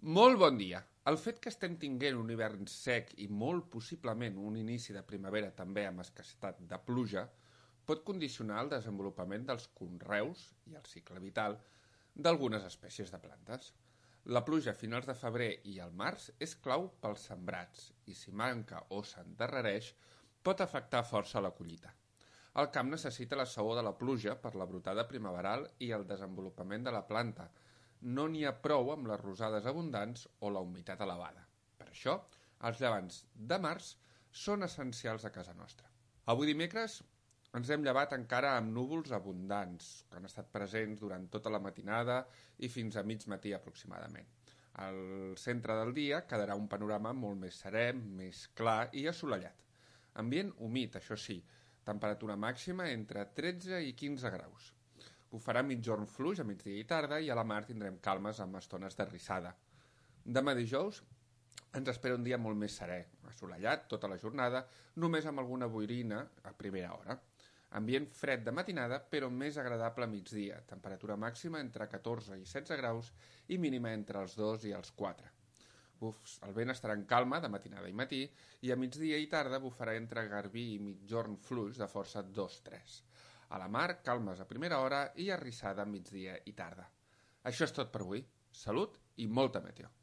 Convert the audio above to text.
Molt bon dia. El fet que estem tinguent un hivern sec i molt possiblement un inici de primavera també amb escassetat de pluja pot condicionar el desenvolupament dels conreus i el cicle vital d'algunes espècies de plantes. La pluja a finals de febrer i al març és clau pels sembrats i si manca o s'endarrereix pot afectar força la collita. El camp necessita la saó de la pluja per la brotada primaveral i el desenvolupament de la planta. No n'hi ha prou amb les rosades abundants o la humitat elevada. Per això, els llevants de març són essencials a casa nostra. Avui dimecres ens hem llevat encara amb núvols abundants, que han estat presents durant tota la matinada i fins a mig matí aproximadament. Al centre del dia quedarà un panorama molt més serè, més clar i assolellat. Ambient humit, això sí, temperatura màxima entre 13 i 15 graus. Bufarà migjorn fluix a migdia i tarda i a la mar tindrem calmes amb estones de rissada. Demà dijous ens espera un dia molt més serè, assolellat tota la jornada, només amb alguna boirina a primera hora. Ambient fred de matinada, però més agradable a migdia, temperatura màxima entre 14 i 16 graus i mínima entre els 2 i els 4. El vent estarà en calma de matinada i matí i a migdia i tarda bufarà entre garbí i migjorn fluix de força 2-3. A la mar, calmes a primera hora i arrissada a migdia i tarda. Això és tot per avui. Salut i molta meteo.